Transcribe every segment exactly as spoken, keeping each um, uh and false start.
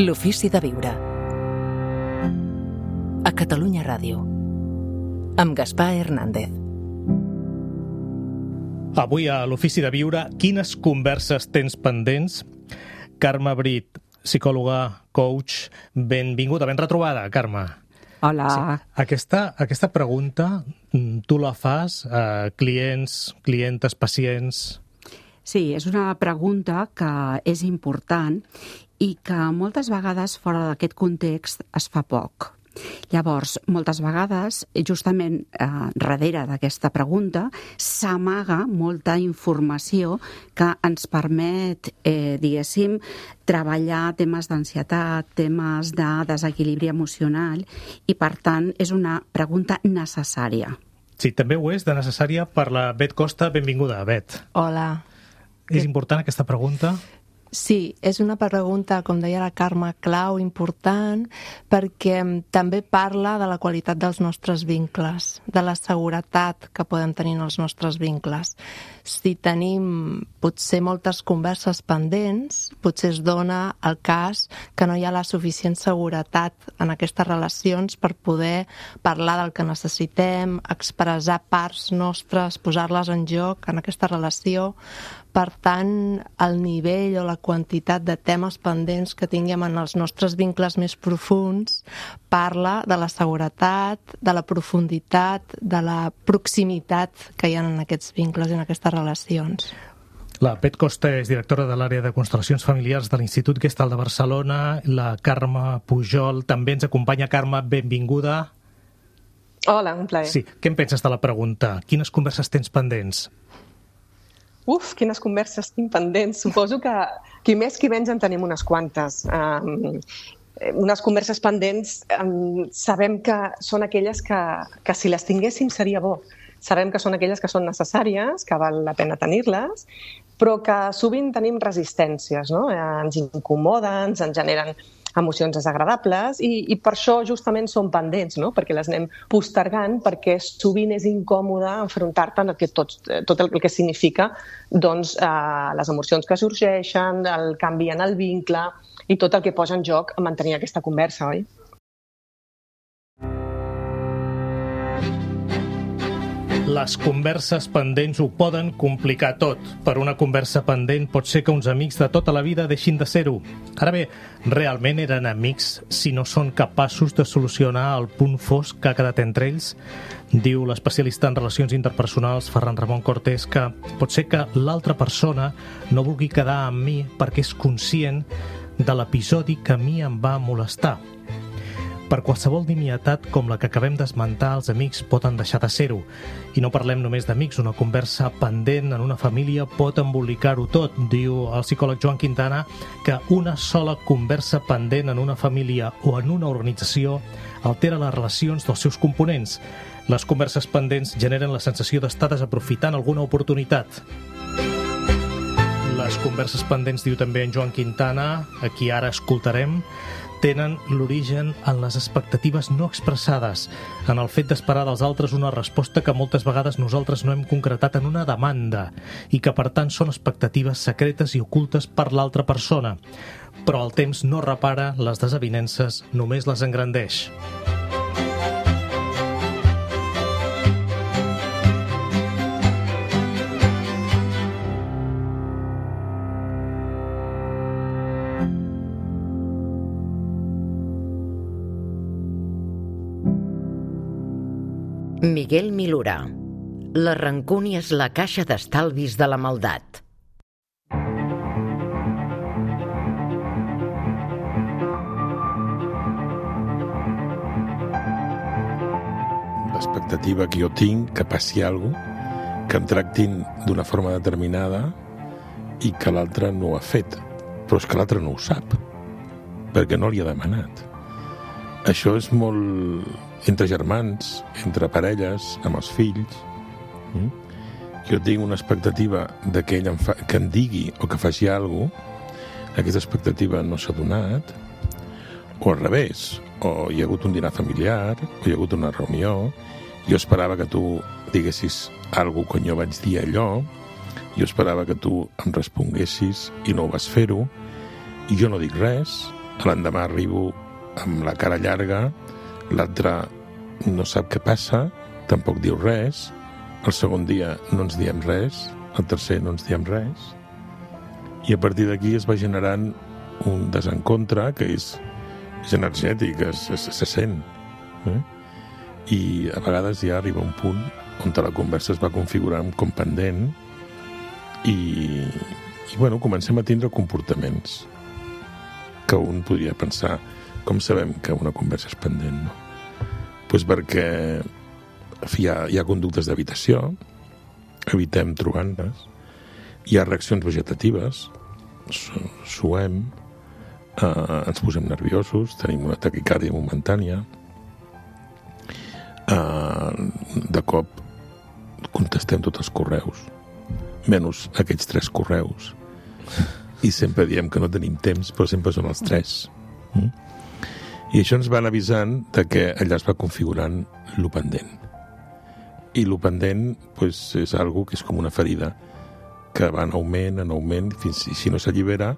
L'ofici de viure. A Catalunya Ràdio. Amb Gaspar Hernández. Avui a l'Ofici de Viure, quines converses tens pendents? Carme Brit, psicòloga, coach, benvinguda, ben retrobada, Carme. Hola. Sí. Aquesta, aquesta pregunta tu la fas a clients, clientes, pacients? Sí, és una pregunta que és important i que moltes vegades fora d'aquest context es fa poc. Llavors, moltes vegades, justament eh, darrere d'aquesta pregunta, s'amaga molta informació que ens permet, eh, diguéssim, treballar temes d'ansietat, temes de desequilibri emocional i, per tant, és una pregunta necessària. Sí, també ho és de necessària per la Bet Costa. Benvinguda, Bet. Hola. És important aquesta pregunta? Sí, és una pregunta, com deia la Carme, clau, important, perquè també parla de la qualitat dels nostres vincles, de la seguretat que podem tenir en els nostres vincles. Si tenim potser moltes converses pendents, potser es dona el cas que no hi ha la suficient seguretat en aquestes relacions per poder parlar del que necessitem, expressar parts nostres, posar-les en joc en aquesta relació. Per tant, el nivell o la quantitat de temes pendents que tinguem en els nostres vincles més profunds parla de la seguretat, de la profunditat, de la proximitat que hi ha en aquests vincles i en aquestes relacions. La Bet Costa és directora de l'àrea de constel·lacions familiars de l'Institut Gestalt de Barcelona. La Carme Pujol també ens acompanya. Carme, benvinguda. Hola, un plaer. Sí, què en penses de la pregunta? Quines converses tens pendents? Uf, quines converses tinc pendents. Suposo que qui més qui menys en tenim unes quantes. Um, unes converses pendents um, sabem que són aquelles que, que si les tinguéssim seria bo. Sabem que són aquelles que són necessàries, que val la pena tenir-les, però que sovint tenim resistències, no? Ens incomoden, ens generen emocions desagradables i, i per això justament són pendents, no? Perquè les anem postergant, perquè sovint és incòmode enfrontar-te en el que tot, tot el que significa doncs, eh, les emocions que sorgeixen, el canvi en el vincle i tot el que posa en joc a mantenir aquesta conversa, oi? Les converses pendents ho poden complicar tot. Per una conversa pendent pot ser que uns amics de tota la vida deixin de ser-ho. Ara bé, realment eren amics si no són capaços de solucionar el punt fosc que ha quedat entre ells? Diu l'especialista en relacions interpersonals Ferran Ramon Cortés que pot ser que l'altra persona no vulgui quedar amb mi perquè és conscient de l'episodi que a mi em va molestar. Per qualsevol nimietat com la que acabem d'esmentar, els amics poden deixar de ser-ho. I no parlem només d'amics, una conversa pendent en una família pot embolicar-ho tot. Diu el psicòleg Joan Quintana que una sola conversa pendent en una família o en una organització altera les relacions dels seus components. Les converses pendents generen la sensació d'estar desaprofitant alguna oportunitat. Les converses pendents, diu també en Joan Quintana, a qui ara escoltarem, tenen l'origen en les expectatives no expressades, en el fet d'esperar dels altres una resposta que moltes vegades nosaltres no hem concretat en una demanda i que, per tant, són expectatives secretes i ocultes per l'altra persona. Però el temps no repara les desavinences, només les engrandeix. Miguel Milura. La rancúnia és la caixa d'estalvis de la maldat. L'expectativa que jo tinc que passi alguna cosa, que em tractin d'una forma determinada i que l'altre no ho ha fet. Però és que l'altre no ho sap, perquè no li ha demanat. Això és molt entre germans, entre parelles, amb els fills. Mm? Jo tinc una expectativa de que ell em, fa, que em digui o que faci alguna cosa, aquesta expectativa no s'ha donat, o al revés, o hi ha hagut un dinar familiar, o hi ha hagut una reunió, jo esperava que tu diguessis alguna cosa quan jo vaig dir allò, jo esperava que tu em responguessis i no ho vas fer-ho, i jo no dic res, l'endemà arribo amb la cara llarga, l'altre no sap què passa, tampoc diu res, el segon dia no ens diem res, el tercer no ens diem res, i a partir d'aquí es va generant un desencontre que és, és energètic, es, es, se sent. Eh? I a vegades ja arriba un punt on la conversa es va configurant com pendent i, i bueno, comencem a tindre comportaments que un podria pensar com sabem que una conversa és pendent, no? Pues perquè hi ha, hi ha conductes d'evitació, evitem trobar-nos, hi ha reaccions vegetatives, suem, eh, ens posem nerviosos, tenim una taquicàrdia momentània, eh, de cop contestem tots els correus, menys aquells tres correus, i sempre diem que no tenim temps, però sempre són els tres. Mm? I això ens van avisant de que allà es va configurant lo pendent. I lo pendent pues, és algo que és com una ferida que va en augment, en augment, fins i si no s'allibera,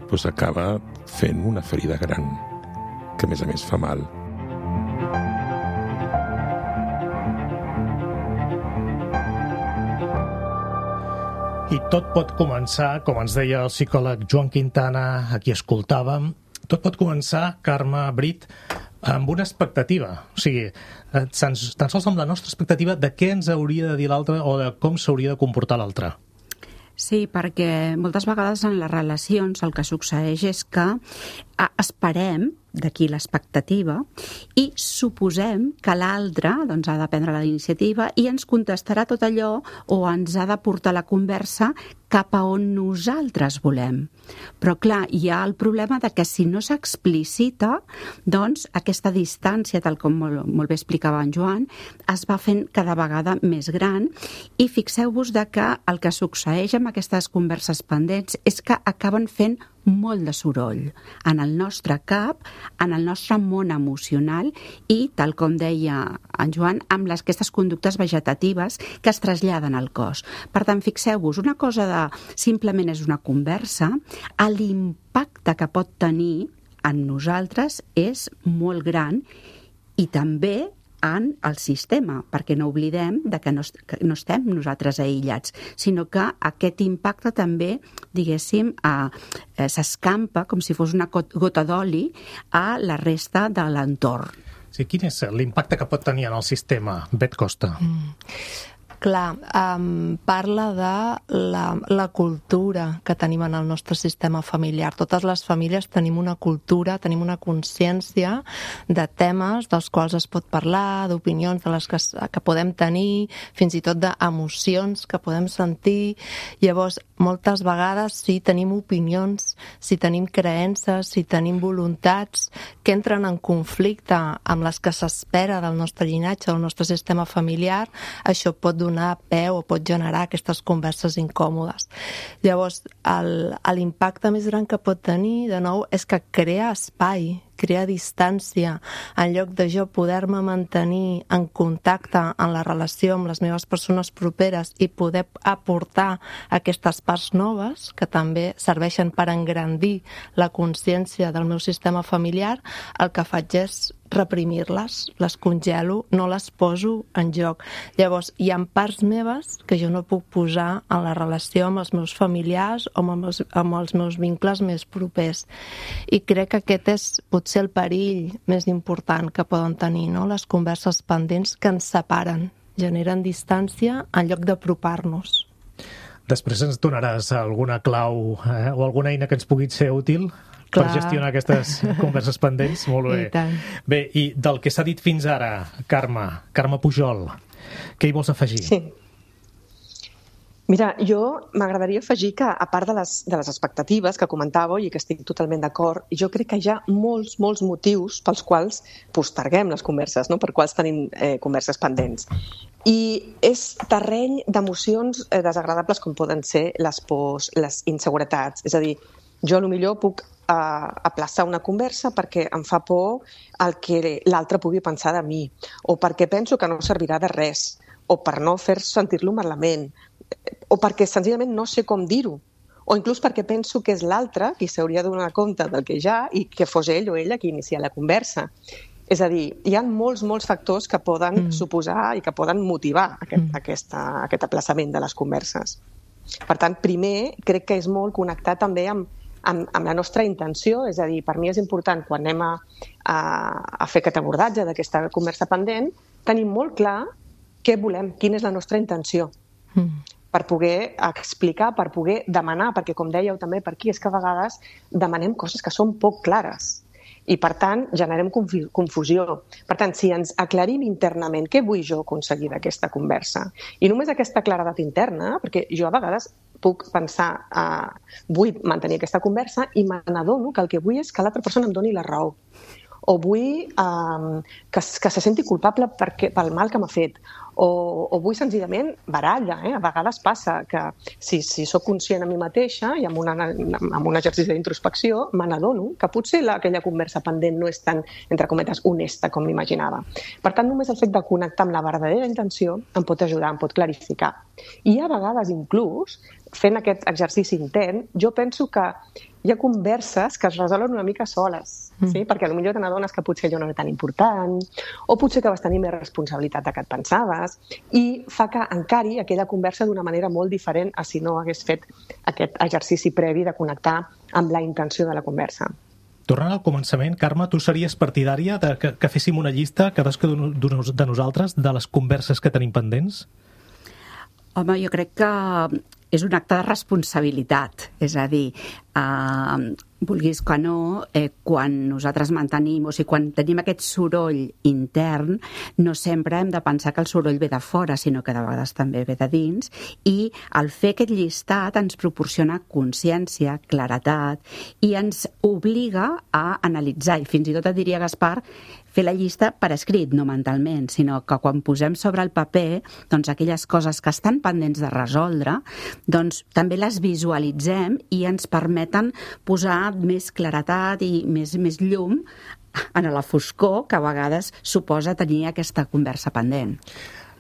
pues, acaba fent una ferida gran, que a més a més fa mal. I tot pot començar, com ens deia el psicòleg Joan Quintana, a qui escoltàvem, tot pot començar, Carme Brit, amb una expectativa. O sigui, tan, tan sols amb la nostra expectativa de què ens hauria de dir l'altre o de com s'hauria de comportar l'altre. Sí, perquè moltes vegades en les relacions el que succeeix és que esperem, d'aquí l'expectativa, i suposem que l'altre doncs, ha de prendre la iniciativa i ens contestarà tot allò o ens ha de portar la conversa cap a on nosaltres volem. Però, clar, hi ha el problema de que si no s'explicita, doncs aquesta distància, tal com molt, molt bé explicava en Joan, es va fent cada vegada més gran i fixeu-vos de que el que succeeix amb aquestes converses pendents és que acaben fent molt de soroll en el nostre cap, en el nostre món emocional i, tal com deia en Joan, amb les, aquestes conductes vegetatives que es traslladen al cos. Per tant, fixeu-vos, una cosa de simplement és una conversa, l'impacte que pot tenir en nosaltres és molt gran i també en el sistema, perquè no oblidem de que no, que no estem nosaltres aïllats, sinó que aquest impacte també, diguéssim, eh, eh, s'escampa com si fos una gota d'oli a la resta de l'entorn. Sí, quin és l'impacte que pot tenir en el sistema, Bet Costa? Mm. Clar, um, parla de la, la cultura que tenim en el nostre sistema familiar. Totes les famílies tenim una cultura, tenim una consciència de temes dels quals es pot parlar, d'opinions de les que, que podem tenir, fins i tot d'emocions que podem sentir. Llavors, moltes vegades, si tenim opinions, si tenim creences, si tenim voluntats que entren en conflicte amb les que s'espera del nostre llinatge, del nostre sistema familiar, això pot donar donar peu o pot generar aquestes converses incòmodes. Llavors, l'impacte més gran que pot tenir, de nou, és que crea espai, crear distància, en lloc de jo poder-me mantenir en contacte en la relació amb les meves persones properes i poder aportar aquestes parts noves que també serveixen per engrandir la consciència del meu sistema familiar, el que faig és reprimir-les, les congelo, no les poso en joc. Llavors, hi ha parts meves que jo no puc posar en la relació amb els meus familiars o amb els, amb els meus vincles més propers. I crec que aquest és potser el perill més important que poden tenir, no? Les converses pendents que ens separen, generen distància en lloc d'apropar-nos. Després ens donaràs alguna clau eh, o alguna eina que ens pugui ser útil Clar. per gestionar aquestes converses pendents. Molt bé. I Bé, i del que s'ha dit fins ara, Carme, Carme Pujol, què hi vols afegir? Sí. Mira, jo m'agradaria afegir que, a part de les, de les expectatives que comentàveu i que estic totalment d'acord, jo crec que hi ha molts, molts motius pels quals posterguem les converses, no? Per quals tenim eh, converses pendents. I és terreny d'emocions eh, desagradables com poden ser les pors, les inseguretats. És a dir, jo potser puc eh, aplaçar una conversa perquè em fa por el que l'altre pugui pensar de mi, o perquè penso que no servirà de res, o per no fer sentir-lo malament, o perquè senzillament no sé com dir-ho, o inclús perquè penso que és l'altre qui s'hauria de donar compte del que hi ha i que fos ell o ella qui inicia la conversa. És a dir, hi ha molts, molts factors que poden mm. suposar i que poden motivar aquest, mm. aquesta, aquest aplaçament de les converses. Per tant, primer, crec que és molt connectar també amb, amb, amb la nostra intenció, és a dir, per mi és important quan anem a, a, a fer aquest abordatge d'aquesta conversa pendent, tenir molt clar què volem, quina és la nostra intenció, mm. per poder explicar, per poder demanar, perquè com dèieu també per aquí, és que a vegades demanem coses que són poc clares. I, per tant, generem confusió. Per tant, si ens aclarim internament què vull jo aconseguir d'aquesta conversa, i només aquesta claredat interna, perquè jo a vegades puc pensar, uh, vull mantenir aquesta conversa i me n'adono que el que vull és que l'altra persona em doni la raó. O vull um, que, que se senti culpable perquè, pel mal que m'ha fet. O, o vull senzillament baralla. Eh? A vegades passa que si, si sóc conscient a mi mateixa i amb, una, amb un exercici d'introspecció, me n'adono que potser la, aquella conversa pendent no és tan, entre cometes, honesta com m'imaginava. Per tant, només el fet de connectar amb la verdadera intenció em pot ajudar, em pot clarificar. I a vegades, inclús, fent aquest exercici intern, jo penso que hi ha converses que es resolen una mica soles, mm. sí? Perquè potser te n'adones que potser allò no era tan important, o potser que vas tenir més responsabilitat del que et pensaves, i fa que encari aquella conversa d'una manera molt diferent a si no hagués fet aquest exercici previ de connectar amb la intenció de la conversa. Tornant al començament, Carme, tu series partidària de que, que féssim una llista, cadascun de nosaltres, de les converses que tenim pendents? Home, jo crec que és un acte de responsabilitat, és a dir, eh, vulguis que no, eh, quan nosaltres mantenim, o sigui, quan tenim aquest soroll intern, no sempre hem de pensar que el soroll ve de fora, sinó que de vegades també ve de dins, i el fer aquest llistat ens proporciona consciència, claretat, i ens obliga a analitzar, i fins i tot et diria, Gaspar, fer la llista per escrit, no mentalment, sinó que quan posem sobre el paper doncs, aquelles coses que estan pendents de resoldre, doncs també les visualitzem i ens permeten posar més claretat i més, més llum en la foscor que a vegades suposa tenir aquesta conversa pendent.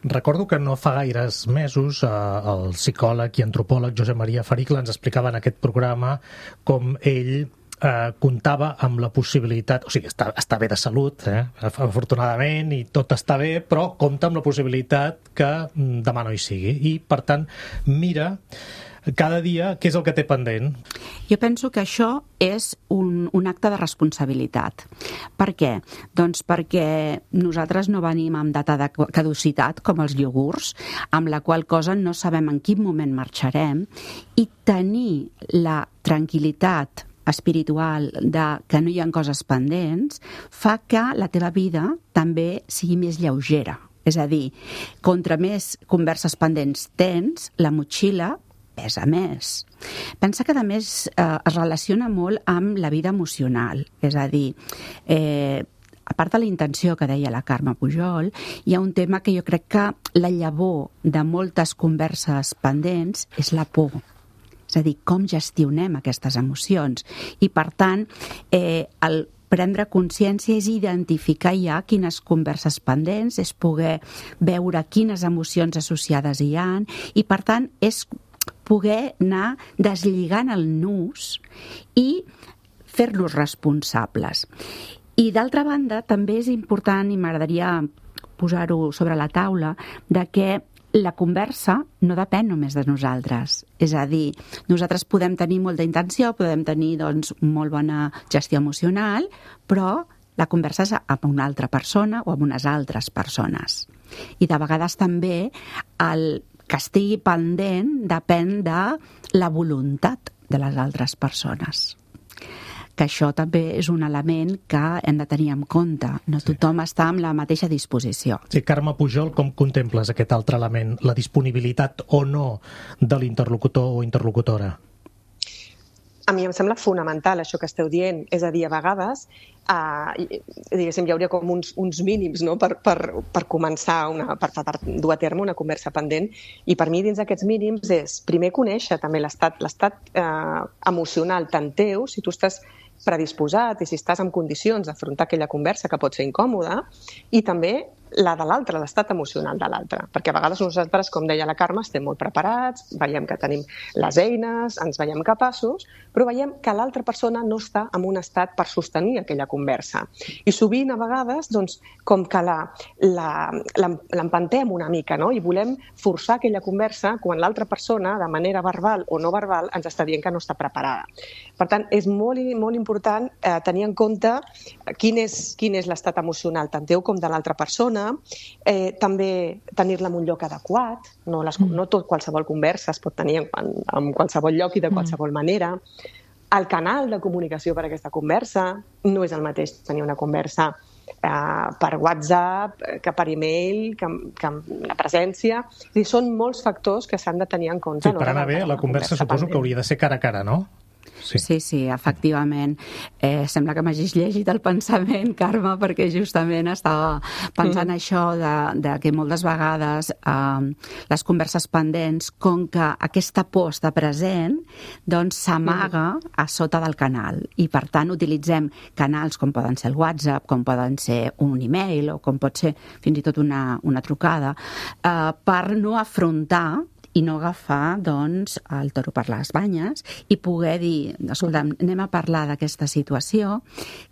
Recordo que no fa gaires mesos eh, el psicòleg i antropòleg Josep Maria Fericla ens explicava en aquest programa com ell Eh, comptava amb la possibilitat, o sigui, està, està bé de salut, eh, afortunadament, i tot està bé, però compta amb la possibilitat que demà no hi sigui. I, per tant, mira cada dia què és el que té pendent. Jo penso que això és un, un acte de responsabilitat. Per què? Doncs perquè nosaltres no venim amb data de caducitat, com els iogurts, amb la qual cosa no sabem en quin moment marxarem, i tenir la tranquil·litat espiritual de que no hi ha coses pendents fa que la teva vida també sigui més lleugera. És a dir, contra més converses pendents tens, la motxilla pesa més. Pensa que, a més, eh, es relaciona molt amb la vida emocional. És a dir, eh, a part de la intenció que deia la Carme Pujol, hi ha un tema que jo crec que la llavor de moltes converses pendents és la por. És a dir, com gestionem aquestes emocions. I, per tant, eh, el prendre consciència és identificar ja quines converses pendents, és poder veure quines emocions associades hi ha, i, per tant, és poder anar deslligant el nus i fer-los responsables. I, d'altra banda, també és important, i m'agradaria posar-ho sobre la taula, de que la conversa no depèn només de nosaltres. És a dir, nosaltres podem tenir molta intenció, podem tenir doncs, molt bona gestió emocional, però la conversa és amb una altra persona o amb unes altres persones. I de vegades també el que estigui pendent depèn de la voluntat de les altres persones. Que això també és un element que hem de tenir en compte. No sí. Tothom està amb la mateixa disposició. Sí, Carme Pujol, com contemples aquest altre element, la disponibilitat o no de l'interlocutor o interlocutora? A mi em sembla fonamental això que esteu dient. És a dir, a vegades eh, diguéssim, hi hauria com uns, uns mínims, no? per, per, per començar, una, per, per dur a terme una conversa pendent. I per mi, dins d'aquests mínims, és primer conèixer també l'estat l'estat eh, emocional tant teu, si tu estàs predisposat i si estàs en condicions d'afrontar aquella conversa que pot ser incòmoda, i també la de l'altre, l'estat emocional de l'altre. Perquè a vegades nosaltres, com deia la Carme, estem molt preparats, veiem que tenim les eines, ens veiem capaços, però veiem que l'altra persona no està en un estat per sostenir aquella conversa. I sovint, a vegades, doncs, com que l'empantem una mica, no? I volem forçar aquella conversa quan l'altra persona, de manera verbal o no verbal, ens està dient que no està preparada. Per tant, és molt, molt important eh, tenir en compte quin és, quin és l'estat emocional, tant teu com de l'altra persona. Eh, també tenir-la en un lloc adequat, no, les, no tot qualsevol conversa es pot tenir en, en qualsevol lloc i de qualsevol manera. El canal de comunicació per a aquesta conversa no és el mateix tenir una conversa eh, per WhatsApp, que per e-mail, que, que amb la presència. És dir, són molts factors que s'han de tenir en compte. Sí, per anar bé, la conversa suposo que hauria de ser cara a cara, no? Sí, sí, sí, efectivament. Eh, sembla que m'hagis llegit el pensament, Carme, perquè justament estava pensant mm. això de, de que moltes vegades eh, les converses pendents, com que aquesta por està present, doncs s'amaga mm. a sota del canal. I, per tant, utilitzem canals com poden ser el WhatsApp, com poden ser un e-mail o com pot ser fins i tot una, una trucada, eh, per no afrontar i no agafar, doncs, el toro per les banyes i poder dir, escolta, anem a parlar d'aquesta situació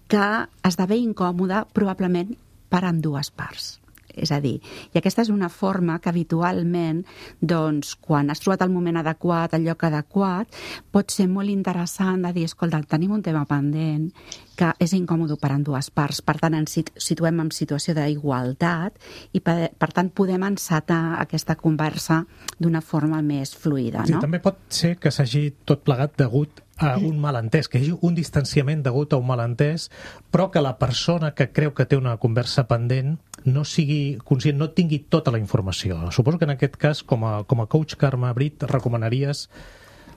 que esdevé incòmoda probablement per ambdues parts. És a dir, i aquesta és una forma que habitualment, doncs, quan has trobat el moment adequat, el lloc adequat, pot ser molt interessant de dir, escolta, tenim un tema pendent que és incòmode per ambdues parts, per tant ens situem en situació d'igualtat i per, per tant podem encetar aquesta conversa d'una forma més fluida, no? Sí, també pot ser que s'hagi tot plegat degut a un malentès, que hi hagi un distanciament degut a un malentès, però que la persona que creu que té una conversa pendent no sigui conscient, no tingui tota la informació. Suposo que en aquest cas, com a, com a coach, Carme Brit, recomanaries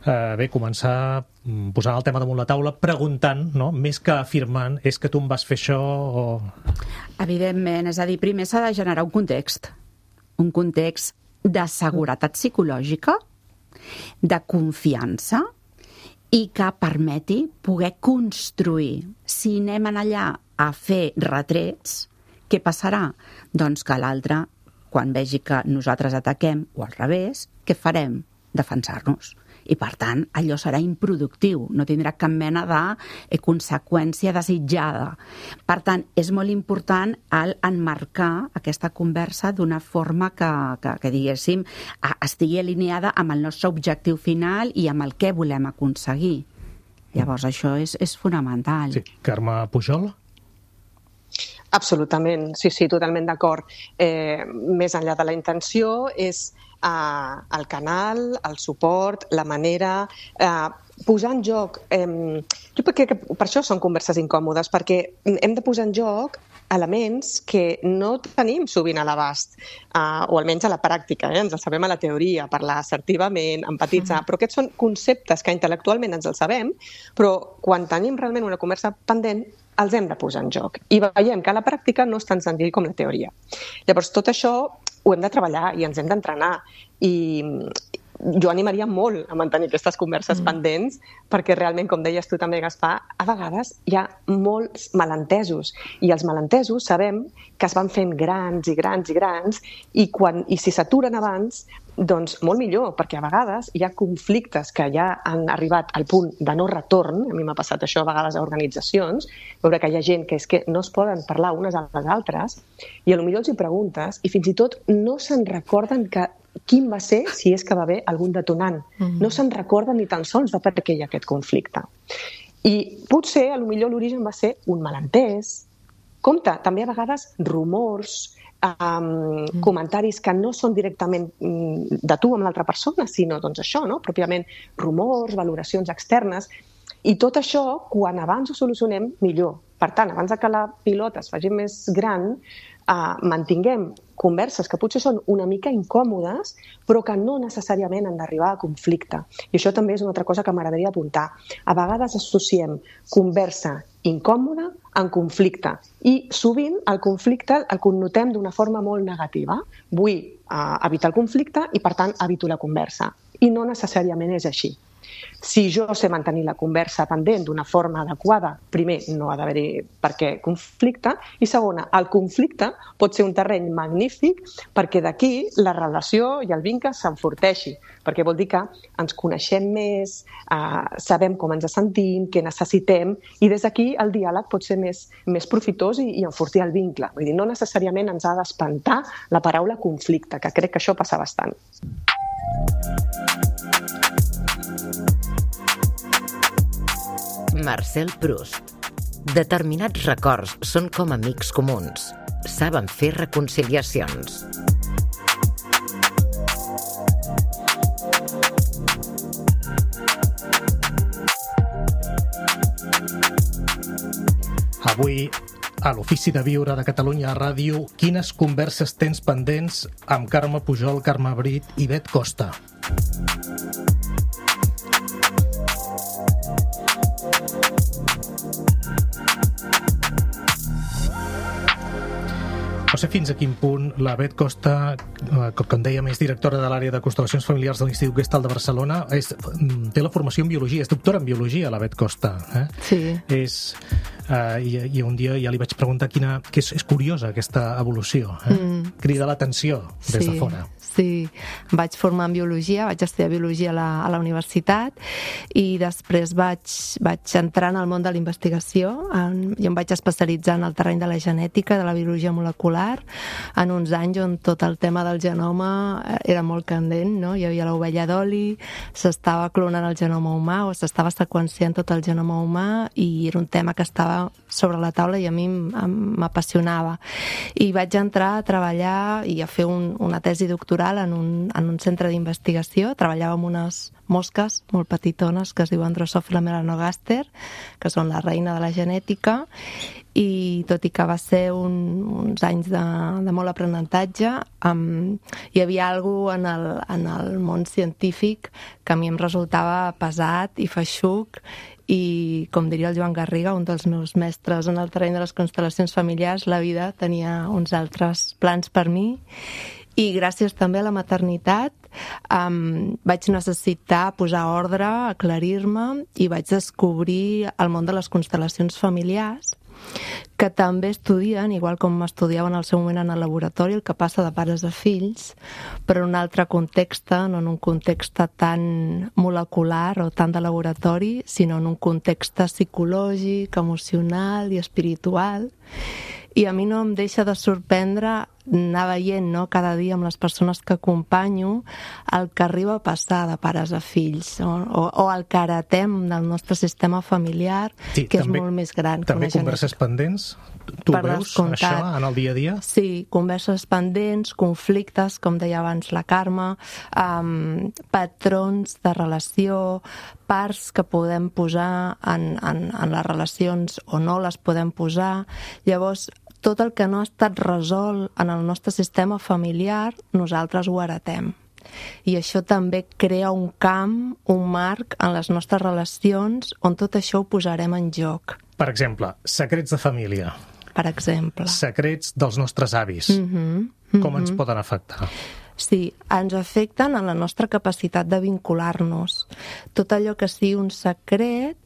eh, bé, començar posant el tema damunt la taula, preguntant, no? Més que afirmant, és que tu em vas fer això o... Evidentment, és a dir, primer s'ha de generar un context, un context de seguretat psicològica, de confiança, i que permeti poder construir. Si anem allà a fer retrets, què passarà? Doncs que l'altre, quan vegi que nosaltres ataquem, o al revés, què farem? Defensar-nos. I, per tant, allò serà improductiu, no tindrà cap mena de conseqüència desitjada. Per tant, és molt important el enmarcar aquesta conversa d'una forma que, que, que diguéssim, estigui alineada amb el nostre objectiu final i amb el que volem aconseguir. Llavors, això és, és fonamental. Sí. Carme Pujol? Absolutament, sí, sí, totalment d'acord. Eh, més enllà de la intenció, és eh, el canal, el suport, la manera, eh, posar en joc... Eh, jo crec que per això són converses incòmodes, perquè hem de posar en joc elements que no tenim sovint a l'abast, eh, o almenys a la pràctica, eh? Ens els sabem a la teoria, parlar assertivament, empatitzar, però aquests són conceptes que intel·lectualment ens els sabem, però quan tenim realment una conversa pendent, els hem de posar en joc. I veiem que a la pràctica no és tan senzill com la teoria. Llavors, tot això ho hem de treballar i ens hem d'entrenar. I jo animaria molt a mantenir aquestes converses mm. pendents, perquè realment, com deies tu també, Gaspar, a vegades hi ha molts malentesos, i els malentesos sabem que es van fent grans i grans i grans, i, quan, i si s'aturen abans, doncs molt millor, perquè a vegades hi ha conflictes que ja han arribat al punt de no retorn, a mi m'ha passat això a vegades a organitzacions, veure que hi ha gent que és que no es poden parlar unes a les altres, i potser els hi preguntes, i fins i tot no se'n recorden que quin va ser, si és que va haver algun detonant. Mm-hmm. No se'n recorden ni tan sols de per què hi ha aquest conflicte. I potser, potser l'origen va ser un malentès. Compte, també a vegades rumors, um, mm. comentaris que no són directament um, de tu amb l'altra persona, sinó doncs això, no? Pròpiament rumors, valoracions externes. I tot això, quan abans ho solucionem, millor. Per tant, abans que la pilota es faci més gran, uh, mantinguem converses que potser són una mica incòmodes, però que no necessàriament han d'arribar a conflicte. I això també és una altra cosa que m'agradaria apuntar. A vegades associem conversa incòmoda en conflicte i sovint el conflicte el connotem d'una forma molt negativa. Vull uh, evitar el conflicte i, per tant, evito la conversa. I no necessàriament és així. Si jo sé mantenir la conversa pendent d'una forma adequada, primer, no ha d'haver-hi per què conflicte, i segona, el conflicte pot ser un terreny magnífic perquè d'aquí la relació i el vincle s'enforteixi, perquè vol dir que ens coneixem més, eh, sabem com ens sentim, què necessitem, i des d'aquí el diàleg pot ser més, més profitós i, i enfortir el vincle. Vull dir, no necessàriament ens ha d'espantar la paraula conflicte, que crec que això passa bastant. Marcel Proust. Determinats records són com amics comuns. Saben fer reconciliacions. Avui, a l'Ofici de Viure de Catalunya Ràdio, quines converses tens pendents amb Carme Pujol, Carme Brit i Bet Costa? No sé fins a quin punt la Bet Costa, com dèiem, és directora de l'àrea de constel·lacions familiars de l'Institut Gestal de Barcelona, és, té la formació en biologia, és doctora en biologia, la Bet Costa. Eh? Sí. És, uh, i, I un dia ja li vaig preguntar quina, que és, és curiosa aquesta evolució. Eh? Mm. Crida l'atenció des sí. de fora. Sí, em vaig formar en biologia, vaig estudiar biologia a la, a la universitat i després vaig, vaig entrar en el món de la investigació. En, jo em vaig especialitzar en el terreny de la genètica, de la biologia molecular, en uns anys on tot el tema del genoma era molt candent, no? Hi havia l'ovella d'oli, s'estava clonant el genoma humà o s'estava seqüenciant tot el genoma humà i era un tema que estava sobre la taula i a mi m'apassionava. I vaig entrar a treballar i a fer un, una tesi doctoral en un, en un centre d'investigació. Treballava amb unes mosques molt petitones que es diuen Drosophila melanogaster, que són la reina de la genètica, i tot i que va ser un, uns anys de, de molt aprenentatge, um, hi havia alguna en el, en el món científic que a mi em resultava pesat i feixuc, i, com diria el Joan Garriga, un dels meus mestres en el terreny de les constel·lacions familiars, la vida tenia uns altres plans per mi. I gràcies també a la maternitat um, vaig necessitar posar ordre, aclarir-me i vaig descobrir el món de les constel·lacions familiars, que també estudien, igual com m'estudiaven al seu moment en el laboratori, el que passa de pares a fills, però en un altre context, no en un context tan molecular o tan de laboratori, sinó en un context psicològic, emocional i espiritual. I a mi no em deixa de sorprendre anar veient, no, cada dia amb les persones que acompanyo el que arriba a passar de pares a fills o, o, o el que heretem del nostre sistema familiar, sí, que també, és molt més gran. També converses pendents? Tu per veus descomptat. Això en el dia a dia? Sí, converses pendents, conflictes, com deia abans la Carme, um, patrons de relació, parts que podem posar en, en, en les relacions o no les podem posar. Llavors, tot el que no ha estat resolt en el nostre sistema familiar, nosaltres ho heretem. I això també crea un camp, un marc en les nostres relacions on tot això ho posarem en joc. Per exemple, secrets de família. Per exemple. Secrets dels nostres avis. Mm-hmm. Mm-hmm. Com ens poden afectar? Sí, ens afecten en la nostra capacitat de vincular-nos. Tot allò que sigui un secret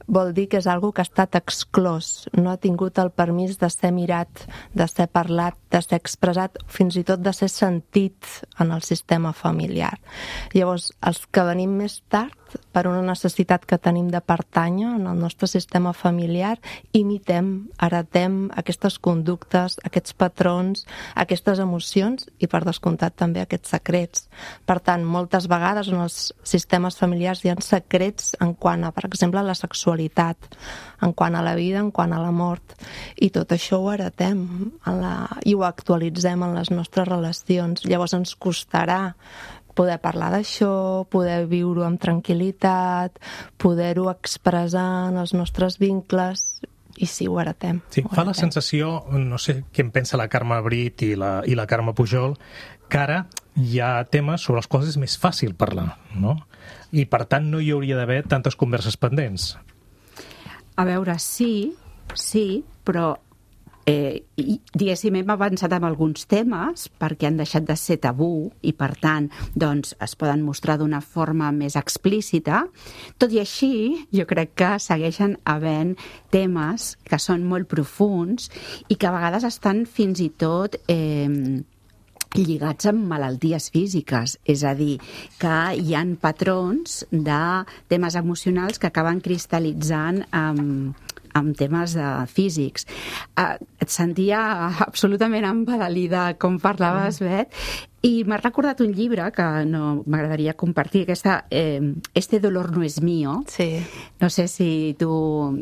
vol dir que és algo que ha estat exclòs, no ha tingut el permís de ser mirat, de ser parlat, de ser expressat, fins i tot de ser sentit en el sistema familiar. Llavors, els que venim més tard, per una necessitat que tenim de pertànyer en el nostre sistema familiar, imitem, heretem aquestes conductes, aquests patrons, aquestes emocions i, per descomptat, també aquests secrets. Per tant, moltes vegades en els sistemes familiars hi ha secrets en quant a, per exemple, la sexualitat, en quant a la vida, en quant a la mort. I tot això ho heretem en la... i ho actualitzem en les nostres relacions. Llavors ens costarà poder parlar d'això, poder viure-ho amb tranquil·litat, poder-ho expressar en els nostres vincles, i sí, ho heretem. Sí, ho fa heretem. la sensació, no sé què en pensa la Carme Brit i la, i la Carme Pujol, que ara hi ha temes sobre els quals és més fàcil parlar, no? I per tant no hi hauria d'haver tantes converses pendents. A veure, sí, sí, però eh, i, diguéssim, hem avançat amb alguns temes perquè han deixat de ser tabú i, per tant, doncs, es poden mostrar d'una forma més explícita. Tot i així, jo crec que segueixen havent temes que són molt profuns i que a vegades estan fins i tot eh, lligats amb malalties físiques, és a dir, que hi ha patrons de temes emocionals que acaben cristal·litzant amb, amb temes de físics. Uh, et sentia absolutament embadalida com parlaves, Bet, i m'ha recordat un llibre que no m'agradaria compartir, aquesta eh, Este dolor no es mío. Sí. No sé si tu...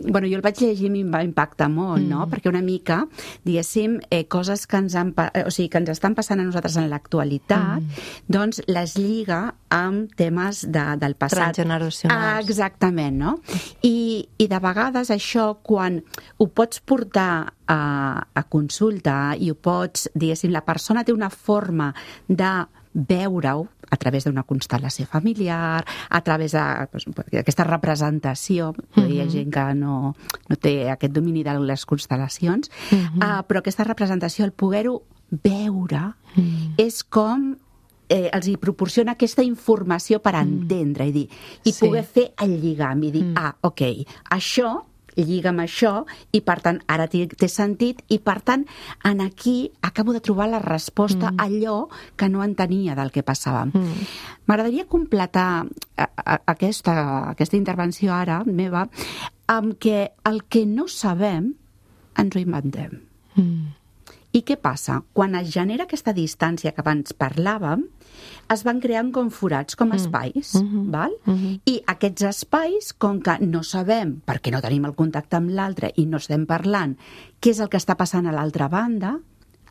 Bueno, jo el vaig llegir i em va impactar molt, mm. no? Perquè una mica, diguéssim, eh, coses que ens, han, o sigui, que ens estan passant a nosaltres en l'actualitat, mm. doncs les lliga amb temes de, del passat. Transgeneracionals. Ah, exactament, no? I, I de vegades això, quan ho pots portar a, a consulta i ho pots, diguéssim, la persona té una forma de veure-ho a través d'una constel·lació familiar, a través d'aquesta representació, mm-hmm. hi ha gent que no, no té aquest domini de les constel·lacions, mm-hmm. uh, però aquesta representació, el poder-ho veure, mm. és com eh, els hi proporciona aquesta informació per entendre, mm. i dir, i sí. poder fer el lligam, i dir, mm. ah, ok, això lliga amb això i, per tant, ara té, té sentit i, per tant, en aquí acabo de trobar la resposta mm. a allò que no entenia del que passava. Mm. M'agradaria completar a, a, aquesta, aquesta intervenció ara meva amb que el que no sabem ens ho inventem. Mm. I què passa? Quan es genera aquesta distància que abans parlàvem, es van creant com forats, com espais, mm-hmm. val? Mm-hmm. I aquests espais, com que no sabem, perquè no tenim el contacte amb l'altre i no estem parlant què és el que està passant a l'altra banda,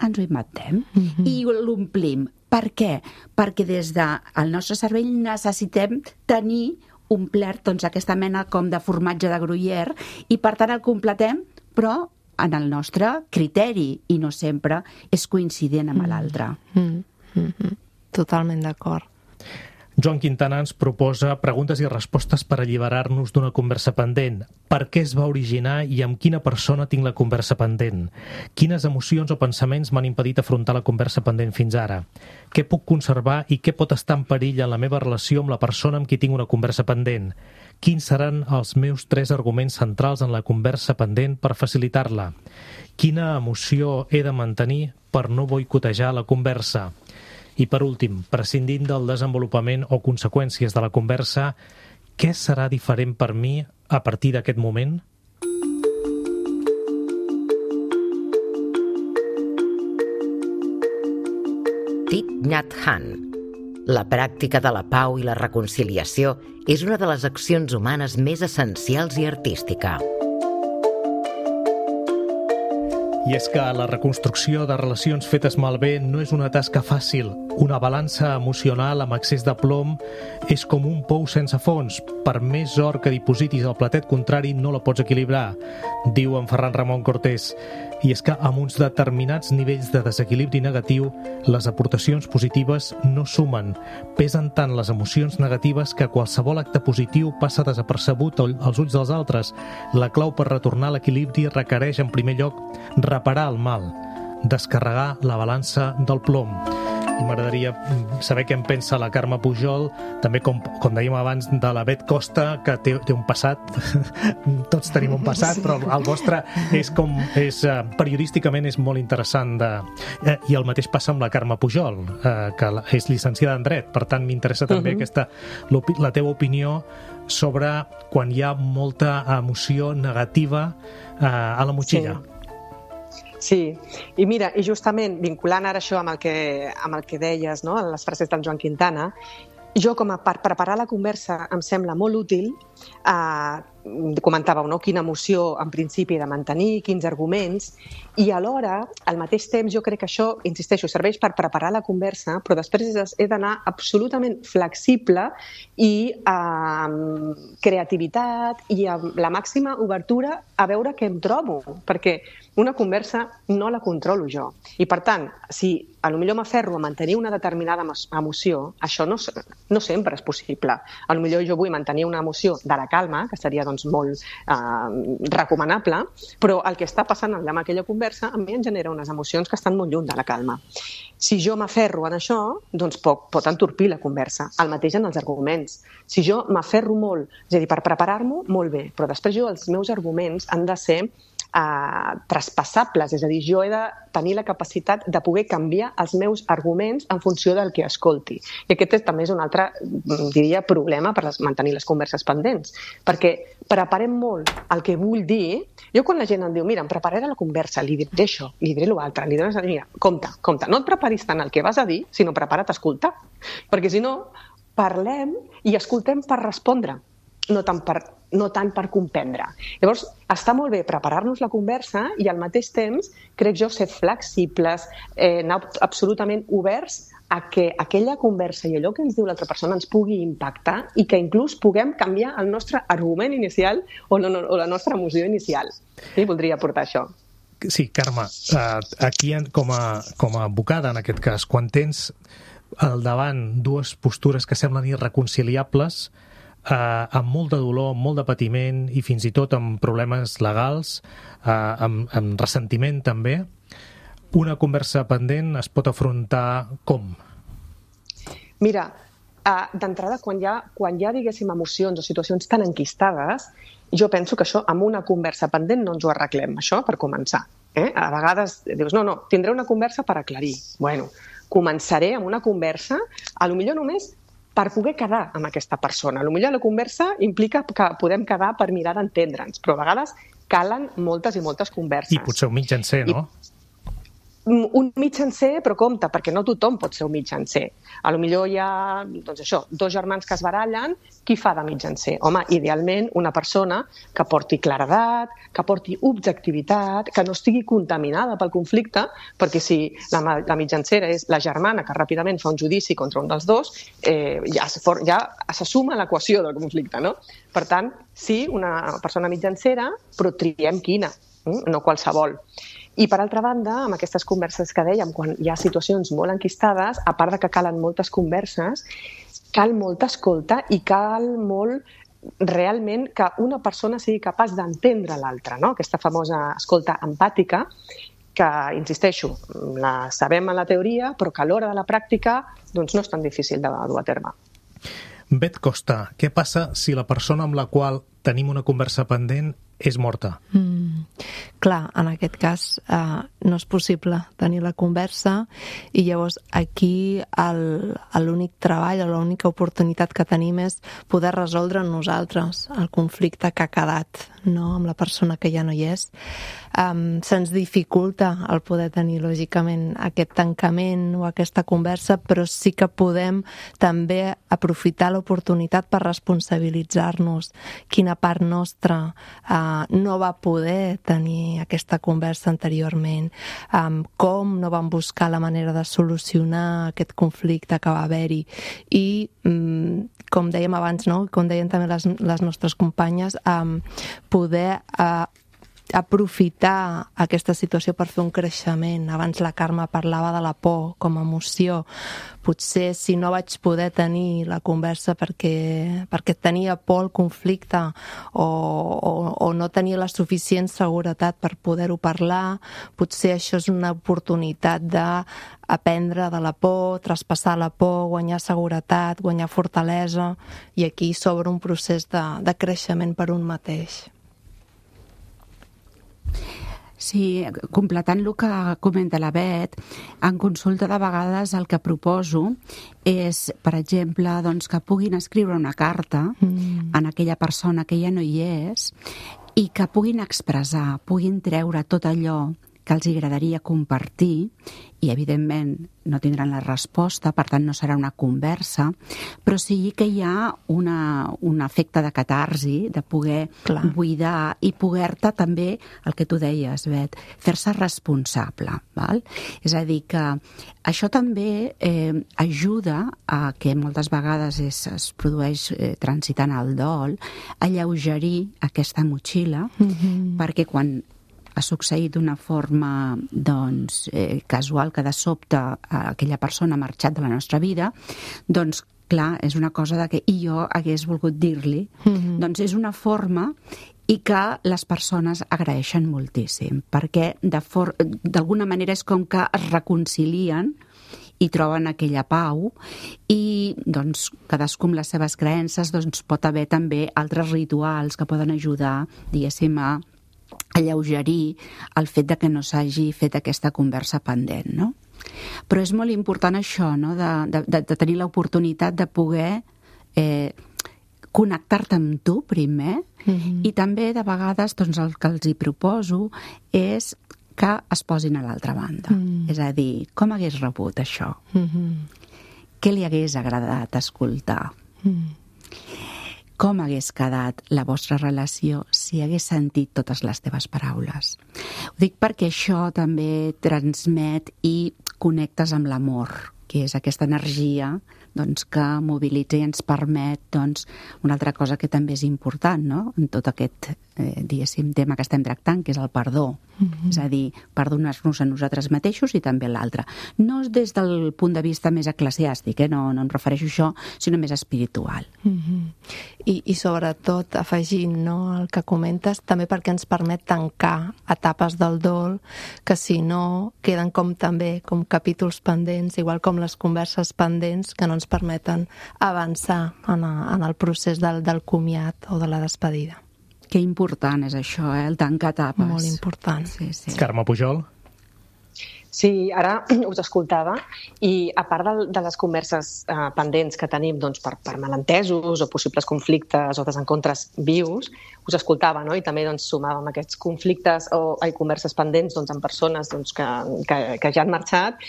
ens ho inventem mm-hmm. i l'omplim. Per què? Perquè des del nostre cervell necessitem tenir omplert doncs, aquesta mena com de formatge de Gruyère i, per tant, el completem, però en el nostre criteri i no sempre és coincident amb mm. l'altre. Mm. Mm-hmm. Totalment d'acord. Joan Quintana ens proposa preguntes i respostes per alliberar-nos d'una conversa pendent. Per què es va originar i amb quina persona tinc la conversa pendent? Quines emocions o pensaments m'han impedit afrontar la conversa pendent fins ara? Què puc conservar i què pot estar en perill en la meva relació amb la persona amb qui tinc una conversa pendent? Quins seran els meus tres arguments centrals en la conversa pendent per facilitar-la? Quina emoció he de mantenir per no boicotejar la conversa? I, per últim, prescindint del desenvolupament o conseqüències de la conversa, què serà diferent per mi a partir d'aquest moment? Thich Nhat Hanh. La pràctica de la pau i la reconciliació és una de les accions humanes més essencials i artística. I és que la reconstrucció de relacions fetes malbé no és una tasca fàcil. Una balança emocional amb excés de plom és com un pou sense fons. Per més or que dipositis al platet contrari no la pots equilibrar, diu en Ferran Ramon Cortés. I és que amb uns determinats nivells de desequilibri negatiu, les aportacions positives no sumen. Pesen tant les emocions negatives que qualsevol acte positiu passa desapercebut als ulls dels altres. La clau per retornar a l'equilibri requereix, en primer lloc, reparar el mal, descarregar la balança del plom. I m'agradaria saber què en pensa la Carme Pujol, també com, com dèiem abans de la Bet Costa, que té, té un passat, tots tenim un passat, però el vostre és com, és, periodísticament és molt interessant de, eh, i el mateix passa amb la Carme Pujol, eh, que és llicenciada en dret, per tant m'interessa també uh-huh. aquesta, la teva opinió sobre quan hi ha molta emoció negativa eh, a la motxilla. Sí. Sí, i mira, i justament vinculant ara això amb el que, amb el que deies, no?, en les frases del Joan Quintana, jo com a per preparar la conversa em sembla molt útil, eh, comentàveu, no?, quina emoció en principi he de mantenir, quins arguments, i alhora, al mateix temps, jo crec que això, insisteixo, serveix per preparar la conversa, però després he d'anar absolutament flexible i amb creativitat i amb la màxima obertura a veure què em trobo, perquè una conversa no la controlo jo. I, per tant, si a lo millor m'aferro a mantenir una determinada emoció, això no, no sempre és possible. A lo millor jo vull mantenir una emoció de la calma, que seria doncs, molt eh, recomanable, però el que està passant allà amb aquella conversa a mi em genera unes emocions que estan molt lluny de la calma. Si jo m'aferro en això, doncs pot, pot entorpir la conversa. El mateix en els arguments. Si jo m'aferro molt, és a dir, per preparar-m'ho, molt bé, però després jo els meus arguments han de ser Uh, traspassables, és a dir, jo he de tenir la capacitat de poder canviar els meus arguments en funció del que escolti. I aquest és, també és un altre, diria, problema per les, mantenir les converses pendents, perquè preparem molt el que vull dir. Jo quan la gent em diu, mira, em prepararé la conversa, li diré això, li diré l'altre, li diré, mira, compte, compte, no et preparis tant el que vas a dir, sinó prepara't a escoltar, perquè si no, parlem i escoltem per respondre, no tant per, no tant per comprendre. Llavors, està molt bé preparar-nos la conversa i al mateix temps, crec jo, ser flexibles, eh, anar absolutament oberts a que aquella conversa i allò que ens diu l'altra persona ens pugui impactar i que inclús puguem canviar el nostre argument inicial o, no, no, o la nostra emoció inicial. Sí, voldria aportar això. Sí, Carme, aquí com a, com a advocada, en aquest cas, quan tens al davant dues postures que semblen irreconciliables, Uh, amb molt de dolor, amb molt de patiment i fins i tot amb problemes legals, uh, amb, amb ressentiment també, una conversa pendent es pot afrontar com? Mira, uh, d'entrada, quan hi ha, quan hi ha, diguéssim, emocions o situacions tan enquistades, jo penso que això amb una conversa pendent no ens ho arreglem, això per començar. Eh? A vegades dius, no, no, tindré una conversa per aclarir. Bueno, començaré amb una conversa, a lo millor només per poder quedar amb aquesta persona. Potser la conversa implica que podem quedar per mirar d'entendre'ns, però a vegades calen moltes i moltes converses. I potser un mitjancer, no? I un mitjancer, però compte, perquè no tothom pot ser un mitjancer. A lo millor hi ha, doncs això, dos germans que es barallen, qui fa de mitjancer? Home, idealment una persona que porti claredat, que porti objectivitat, que no estigui contaminada pel conflicte, perquè si la, la mitjancera és la germana que ràpidament fa un judici contra un dels dos, eh, ja, ja se suma l'equació del conflicte, no? Per tant, sí, una persona mitjancera, però triem quina, no qualsevol. I, per altra banda, amb aquestes converses que dèiem, quan hi ha situacions molt enquistades, a part de que calen moltes converses, cal molta escolta i cal molt realment que una persona sigui capaç d'entendre l'altra, no? Aquesta famosa escolta empàtica, que, insisteixo, la sabem en la teoria, però que a l'hora de la pràctica doncs no és tan difícil de dur a terme. Bet Costa, què passa si la persona amb la qual tenim una conversa pendent és morta? Mm, clar, en aquest cas eh, no és possible tenir la conversa i llavors aquí el, l'únic treball o l'única oportunitat que tenim és poder resoldre nosaltres el conflicte que ha quedat, no? Amb la persona que ja no hi és. Um, se'ns dificulta el poder tenir lògicament aquest tancament o aquesta conversa, però sí que podem també aprofitar l'oportunitat per responsabilitzar-nos quina part nostra uh, no va poder tenir aquesta conversa anteriorment, um, com no vam buscar la manera de solucionar aquest conflicte que va haver-hi i um, com dèiem abans, no? Com deien també les, les nostres companyes, um, poder uh, aprofitar aquesta situació per fer un creixement. Abans la Carme parlava de la por com a emoció. Potser si no vaig poder tenir la conversa perquè, perquè tenia por al conflicte o, o, o no tenia la suficient seguretat per poder-ho parlar, potser això és una oportunitat d'aprendre de la por, traspassar la por, guanyar seguretat, guanyar fortalesa, i aquí s'obre un procés de, de creixement per un mateix. Sí, completant el que comenta la Bet, en consulta de vegades el que proposo és, per exemple, doncs, que puguin escriure una carta mm. en aquella persona que ja no hi és i que puguin expressar, puguin treure tot allò que els agradaria compartir i, evidentment, no tindran la resposta, per tant, no serà una conversa, però sí que hi ha una, un efecte de catarsi, de poder Clar. buidar i poder-te també, el que tu deies, Bet, fer-se responsable. Val? És a dir, que això també eh, ajuda a que moltes vegades es, es produeix eh, transitant el dol, a alleugerir aquesta motxilla, mm-hmm. perquè quan ha succeït d'una forma doncs, eh, casual, que de sobte aquella persona ha marxat de la nostra vida, doncs clar, és una cosa de que i jo hagués volgut dir-li. Mm-hmm. Doncs és una forma i que les persones agraeixen moltíssim, perquè de for- d'alguna manera és com que es reconcilien i troben aquella pau i doncs, cadascú amb les seves creences doncs, pot haver també altres rituals que poden ajudar, diguéssim, a alleugerir el fet de que no s'hagi fet aquesta conversa pendent, no? Però és molt important això, no? de, de, de tenir l'oportunitat de poder eh, connectar-te amb tu primer, mm-hmm. i també de vegades doncs, el que els hi proposo és que es posin a l'altra banda. Mm. És a dir, com hagués rebut això? Mm-hmm. Què li hagués agradat escoltar? Mm. Com hagués quedat la vostra relació si hagués sentit totes les teves paraules? Ho dic perquè això també transmet i connectes amb l'amor, que és aquesta energia doncs, que mobilitza i ens permet doncs, una altra cosa que també és important, no? En tot aquest eh, diguéssim, tema que estem tractant, que és el perdó. Mm-hmm. És a dir, perdonar-nos a nosaltres mateixos i també a l'altre. No des del punt de vista més eclesiàstic, eh? no, no em refereixo a això, sinó més espiritual. Mm-hmm. I, I sobretot, afegint no, el que comentes, també perquè ens permet tancar etapes del dol que si no queden com també com capítols pendents, igual com les converses pendents que no ens permeten avançar en, a, en el procés del, del comiat o de la despedida. Que important és això, eh? El tancar etapes. Molt important. Sí, sí. Carme Pujol? Sí, ara us escoltava i a part de, de les converses eh, pendents que tenim doncs, per, per malentesos o possibles conflictes o desencontres vius, us escoltava, no? I també doncs, sumàvem aquests conflictes o ai, converses pendents doncs, amb persones doncs, que, que, que ja han marxat.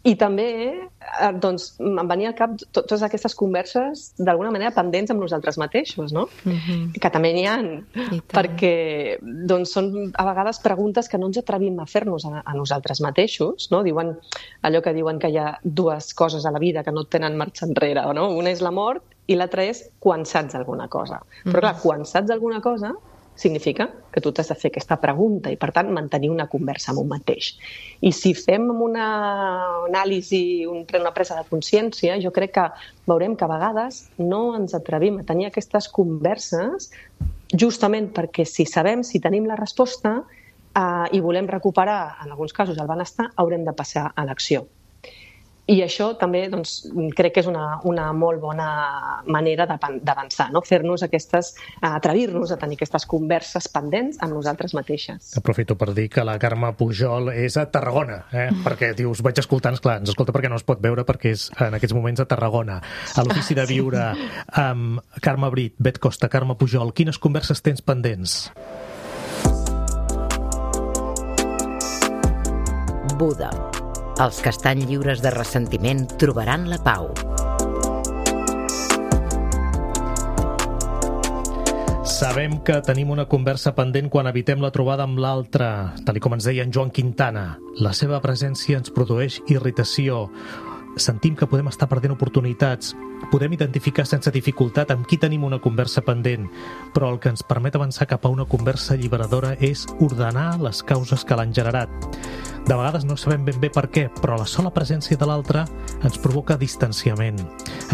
I també eh, doncs, em venia al cap to- totes aquestes converses d'alguna manera pendents amb nosaltres mateixos, no? Mm-hmm. Que també n'hi ha, perquè doncs, són a vegades preguntes que no ens atrevim a fer-nos a, a nosaltres mateixos, no? Diuen allò que diuen que hi ha dues coses a la vida que no tenen marxa enrere, no? Una és la mort i l'altra és quan saps alguna cosa. Mm-hmm. Però clar, quan saps alguna cosa significa que tu t'has de fer aquesta pregunta i, per tant, mantenir una conversa amb un mateix. I si fem una anàlisi, una presa de consciència, jo crec que veurem que a vegades no ens atrevim a tenir aquestes converses justament perquè si sabem, si tenim la resposta eh, i volem recuperar, en alguns casos, el benestar, haurem de passar a l'acció. I això també doncs, crec que és una, una molt bona manera d'avançar, no? Fer-nos aquestes, atrevir-nos a tenir aquestes converses pendents amb nosaltres mateixes. Aprofito per dir que la Carme Pujol és a Tarragona, eh? perquè dius, vaig escoltant, esclar, ens escolta perquè no es pot veure perquè és en aquests moments a Tarragona. A l'Ofici de Viure amb Carme Brit, Bet Costa, Carme Pujol, quines converses tens pendents? Buda. Els que estan lliures de ressentiment trobaran la pau. Sabem que tenim una conversa pendent quan evitem la trobada amb l'altre. Tal com ens deia en Joan Quintana, la seva presència ens produeix irritació. Sentim que podem estar perdent oportunitats. Podem identificar sense dificultat amb qui tenim una conversa pendent, però el que ens permet avançar cap a una conversa alliberadora és ordenar les causes que l'han generat. De vegades no sabem ben bé per què, però la sola presència de l'altre ens provoca distanciament,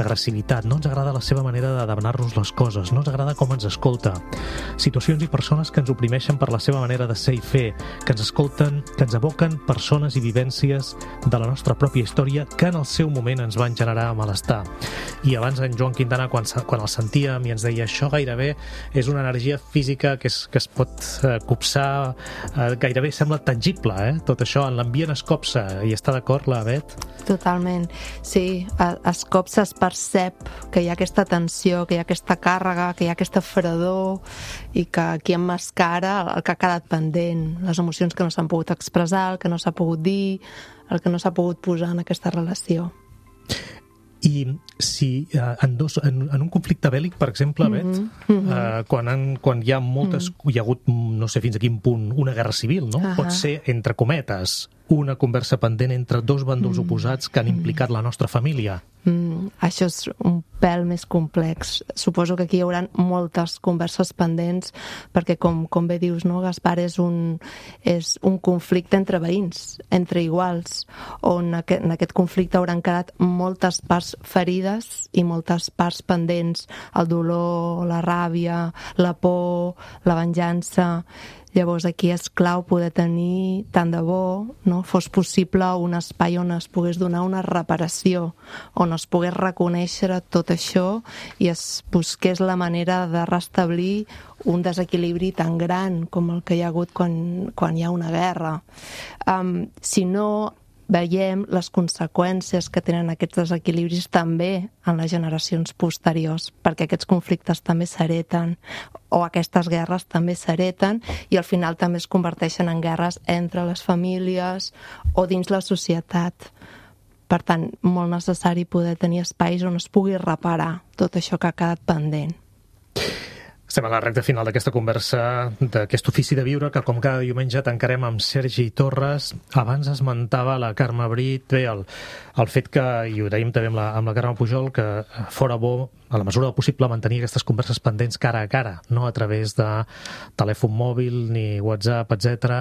agressivitat, no ens agrada la seva manera de demanar-nos les coses, no ens agrada com ens escolta. Situacions i persones que ens oprimeixen per la seva manera de ser i fer, que ens escolten, que ens evoquen persones i vivències de la nostra pròpia història que en el seu moment ens van generar malestar. I abans en Joan Quintana, quan, quan el sentíem i ens deia això gairebé és una energia física que es, que es pot eh, copsar, eh, gairebé sembla tangible, eh? Tot això en l'ambient es copsa. I està d'acord la Bet? Totalment. Sí, es copsa, es percep que hi ha aquesta tensió, que hi ha aquesta càrrega, que hi ha aquesta fredor i que aquí emmascara el que ha quedat pendent, les emocions que no s'han pogut expressar, el que no s'ha pogut dir, el que no s'ha pogut posar en aquesta relació. I si eh, en, dos, en, en un conflicte bèl·lic, per exemple, Bet, mm-hmm. eh, quan, han, quan hi ha moltes, mm-hmm. hi ha hagut, no sé fins a quin punt, una guerra civil, no? Uh-huh. Pot ser entre cometes, una conversa pendent entre dos bàndols mm. oposats que han implicat la nostra família? Mm, això és un pèl més complex. Suposo que aquí hi haurà moltes converses pendents, perquè com, com bé dius, no, Gaspar, és un, és un conflicte entre veïns, entre iguals, on aquest, en aquest conflicte hauran quedat moltes parts ferides i moltes parts pendents, el dolor, la ràbia, la por, la venjança. Llavors aquí és clau poder tenir, tant de bo, no, fos possible un espai on es pogués donar una reparació, on es pogués reconèixer tot això i es busqués la manera de restablir un desequilibri tan gran com el que hi ha hagut quan, quan hi ha una guerra. Um, si no veiem les conseqüències que tenen aquests desequilibris també en les generacions posteriors, perquè aquests conflictes també s'hereten, o aquestes guerres també s'hereten, i al final també es converteixen en guerres entre les famílies o dins la societat. Per tant, molt necessari poder tenir espais on es pugui reparar tot això que ha quedat pendent. Estem a la recta final d'aquesta conversa, d'aquest ofici de viure, que com cada diumenge tancarem amb Sergi Torres. Abans esmentava la Carme Brit, bé, el, el fet que, i ho dèiem també amb la, amb la Carme Pujol, que fora bo, a la mesura del possible, mantenir aquestes converses pendents cara a cara, no a través de telèfon mòbil, ni WhatsApp, etcètera,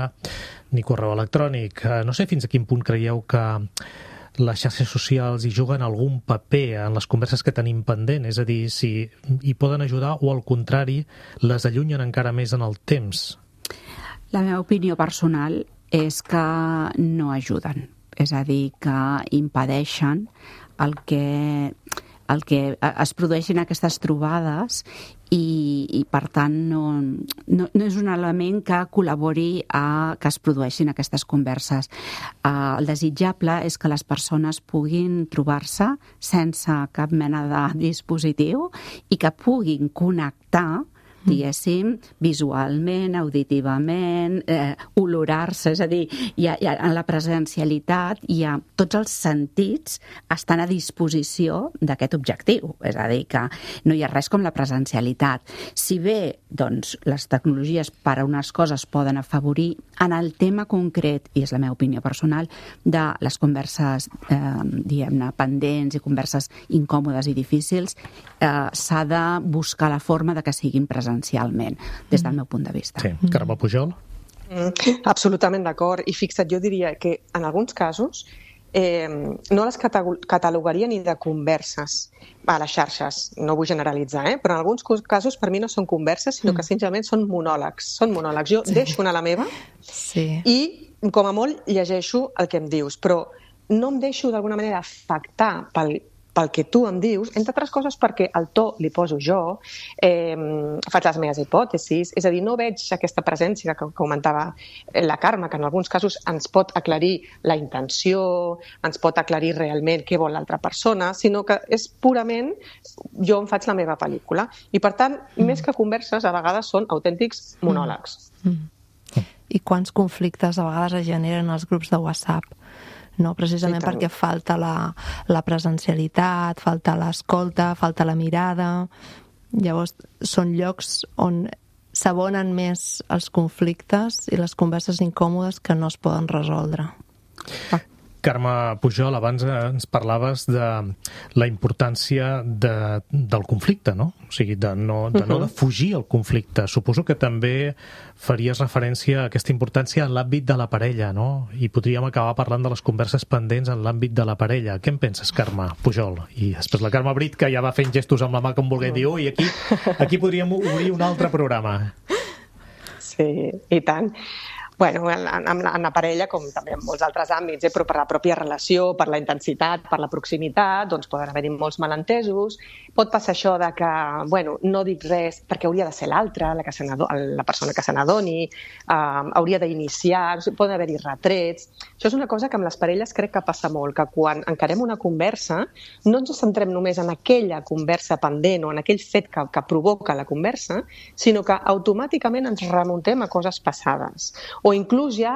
ni correu electrònic. No sé fins a quin punt creieu que les xarxes socials hi juguen algun paper en les converses que tenim pendent, és a dir, si hi poden ajudar o, al contrari, les allunyen encara més en el temps? La meva opinió personal és que no ajuden, és a dir, que impedeixen el que, el que es produeixin aquestes trobades i, i per tant, no, no, no és un element que col·labori a que es produeixin aquestes converses. Uh, el desitjable és que les persones puguin trobar-se sense cap mena de dispositiu i que puguin connectar, diguéssim, visualment, auditivament, eh, olorar-se, és a dir, hi ha, hi ha, en la presencialitat hi ha tots els sentits estan a disposició d'aquest objectiu, és a dir, que no hi ha res com la presencialitat. Si bé, doncs, les tecnologies per a unes coses poden afavorir, en el tema concret, i és la meva opinió personal, de les converses, eh, diguem-ne, pendents i converses incòmodes i difícils, eh, s'ha de buscar la forma de que siguin presencials essencialment, des del meu punt de vista. Sí. Carme Pujol? Mm, absolutament d'acord. I fixa't, jo diria que en alguns casos eh, no les catalogaria ni de converses a les xarxes, no vull generalitzar, eh? Però en alguns casos per mi no són converses, sinó que simplement són monòlegs. Són monòlegs. Jo sí. deixo anar la meva sí. i, com a molt, llegeixo el que em dius, però no em deixo d'alguna manera afectar pel pel que tu em dius, entre altres coses perquè el to li poso jo, eh, faig les meves hipòtesis, és a dir, no veig aquesta presència que comentava la Carme, que en alguns casos ens pot aclarir la intenció, ens pot aclarir realment què vol l'altra persona, sinó que és purament jo em faig la meva pel·lícula. I per tant, mm. més que converses, a vegades són autèntics monòlegs. Mm. Mm. I quants conflictes a vegades es generen als grups de WhatsApp? No, precisament perquè falta la, la presencialitat, falta l'escolta, falta la mirada. Llavors, són llocs on s'abonen més els conflictes i les converses incòmodes que no es poden resoldre. Ah. Carme Pujol, abans ens parlaves de la importància de, del conflicte, no? O sigui, de no, de no defugir el conflicte. Suposo que també faries referència a aquesta importància en l'àmbit de la parella, no? I podríem acabar parlant de les converses pendents en l'àmbit de la parella. Què en penses, Carme Pujol? I després la Carme Brit, que ja va fent gestos amb la mà com volgué dir, ui, aquí, aquí podríem obrir un altre programa. Sí, i tant. Bueno, en, en, en la parella, com també en molts altres àmbits, eh, però per la pròpia relació, per la intensitat, per la proximitat, doncs poden haver-hi molts malentesos. Pot passar això de que, bueno, no dic res perquè hauria de ser l'altre, la, que la persona que se n'adoni, eh, hauria d'iniciar, poden haver-hi retrets. Això és una cosa que amb les parelles crec que passa molt, que quan encarem una conversa no ens centrem només en aquella conversa pendent o en aquell fet que, que provoca la conversa, sinó que automàticament ens remuntem a coses passades. O inclús ja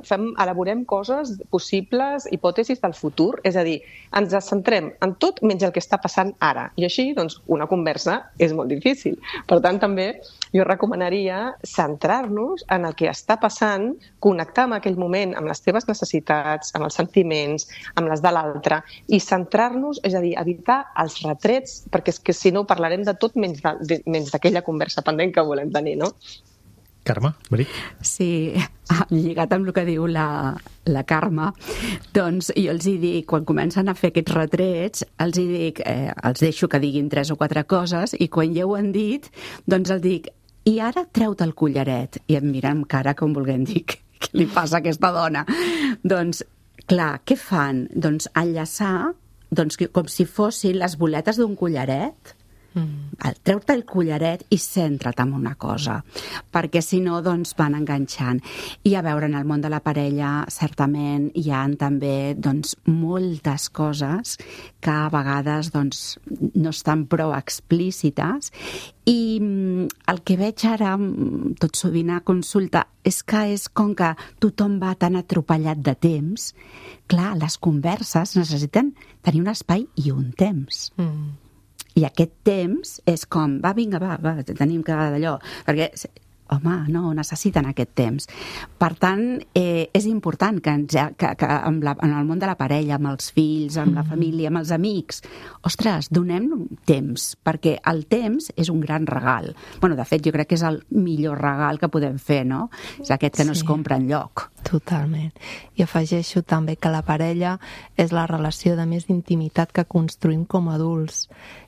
fem, elaborem coses possibles, hipòtesis del futur, és a dir, ens centrem en tot menys el que està passant ara. I així, doncs, una conversa és molt difícil. Per tant, també jo recomanaria centrar-nos en el que està passant, connectar amb aquell moment amb les teves necessitats, amb els sentiments, amb les de l'altre, i centrar-nos, és a dir, evitar els retrets, perquè és que si no parlarem de tot menys de, de, menys d'aquella conversa pendent que volem tenir, no? Carme, Brit? Sí, lligat amb el que diu la, la Carme, doncs jo els hi dic, quan comencen a fer aquests retrets, els hi dic, eh, els deixo que diguin tres o quatre coses, i quan ja ho han dit, doncs els dic, i ara treu-te el collaret. I em miren amb cara com volguem dir, què li passa a aquesta dona? Doncs, clar, què fan? Doncs enllaçar, doncs, com si fossin les boletes d'un collaret. Mm. Treu-te el collaret i centra't en una cosa, perquè si no doncs van enganxant. I a veure, en el món de la parella certament hi ha també doncs moltes coses que a vegades doncs no estan prou explícites, i el que veig ara tot sovint a consulta és que és com que tothom va tan atropellat de temps. Clar, les converses necessiten tenir un espai i un temps. Mm. I aquest temps és com, va, vinga, va, va, tenim que d'allò, perquè, home, no, necessiten aquest temps. Per tant, eh, és important que, ens, que, que en, la, en el món de la parella, amb els fills, amb la família, amb els amics, ostres, donem temps, perquè el temps és un gran regal. Bueno, de fet, jo crec que és el millor regal que podem fer, no? És aquest que no es compra enlloc. Totalment. I afegeixo també que la parella és la relació de més intimitat que construïm com a adults.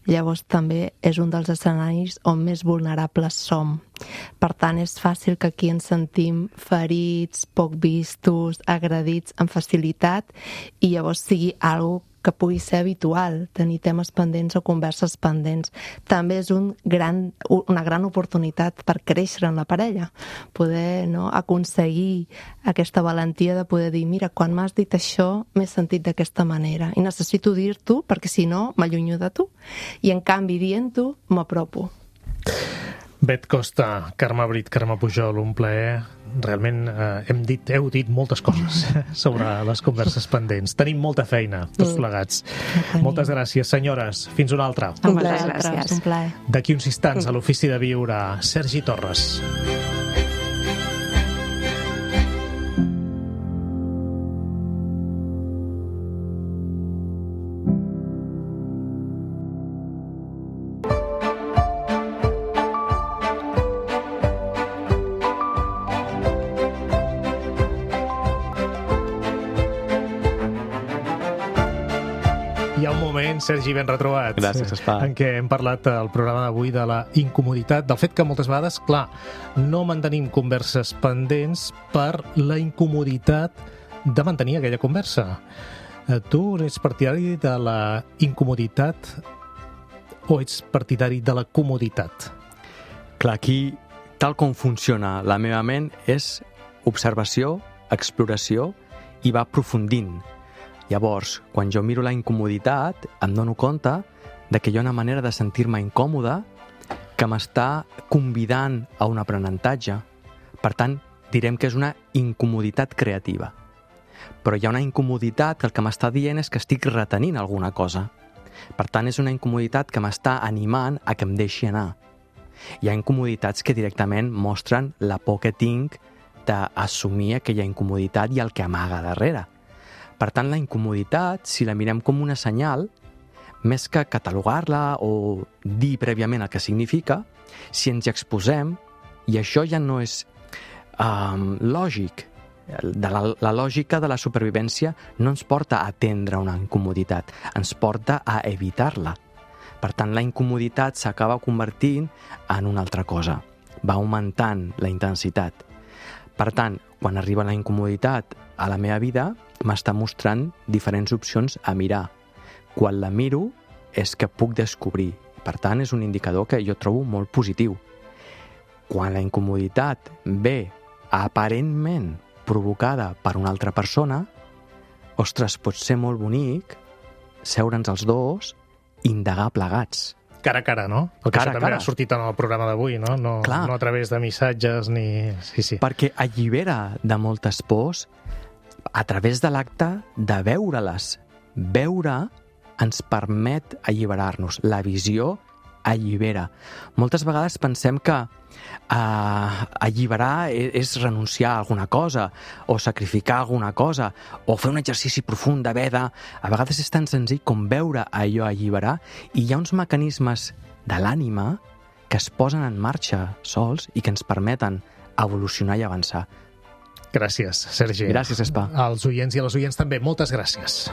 Llavors també és un dels escenaris on més vulnerables som. Per tant, és fàcil que aquí ens sentim ferits, poc vistos, agredits amb facilitat, i llavors sigui algo que pugui ser habitual, tenir temes pendents o converses pendents. També és un gran, una gran oportunitat per créixer en la parella, poder, no, aconseguir aquesta valentia de poder dir, mira, quan m'has dit això m'he sentit d'aquesta manera i necessito dir-t'ho perquè si no m'allunyo de tu, i en canvi dient-ho m'apropo. Bet Costa, Carme Brit, Carme Pujol, un plaer. Realment eh, hem dit, heu dit moltes coses sobre les converses pendents. Tenim molta feina, tots plegats. Mm. Moltes gràcies, senyores. Fins una altra. Un plaer, gràcies. Un plaer. D'aquí uns instants, a l'Ofici de Viure, Sergi Torres. Sergi, ben retrobat. Gràcies, Gaspar. En què hem parlat al programa d'avui de la incomoditat, del fet que moltes vegades, clar, no mantenim converses pendents per la incomoditat de mantenir aquella conversa. Tu ets partidari de la incomoditat o ets partidari de la comoditat? Clar, aquí, tal com funciona la meva ment, és observació, exploració i va aprofundint. Llavors, quan jo miro la incomoditat, em dono compte de que hi ha una manera de sentir-me incòmode que m'està convidant a un aprenentatge. Per tant, direm que és una incomoditat creativa. Però hi ha una incomoditat que el que m'està dient és que estic retenint alguna cosa. Per tant, és una incomoditat que m'està animant a que em deixi anar. Hi ha incomoditats que directament mostren la por que tinc d'assumir aquella incomoditat i el que amaga darrere. Per tant, la incomoditat, si la mirem com una senyal, més que catalogar-la o dir prèviament el que significa, si ens hi exposem, i això ja no és um, lògic, de la, la lògica de la supervivència no ens porta a atendre una incomoditat, ens porta a evitar-la. Per tant, la incomoditat s'acaba convertint en una altra cosa, va augmentant la intensitat. Per tant, quan arriba la incomoditat a la meva vida, m'està mostrant diferents opcions a mirar. Quan la miro, és que puc descobrir. Per tant, és un indicador que jo trobo molt positiu. Quan la incomoditat ve aparentment provocada per una altra persona, ostres, pot ser molt bonic seure'ns els dos i indagar plegats. Cara a cara, no? Perquè cara això també cara. ha sortit en el programa d'avui, no? No, no a través de missatges ni... Sí, sí. Perquè allibera de moltes pors a través de l'acte de veure-les. Veure ens permet alliberar-nos. La visió allibera. Moltes vegades pensem que uh, alliberar és renunciar a alguna cosa, o sacrificar alguna cosa, o fer un exercici profund d'haver de... A vegades és tan senzill com veure allò alliberar, i hi ha uns mecanismes de l'ànima que es posen en marxa sols i que ens permeten evolucionar i avançar. Gràcies, Sergi. Gràcies, Gaspar. Als oients i a les oients també, moltes gràcies.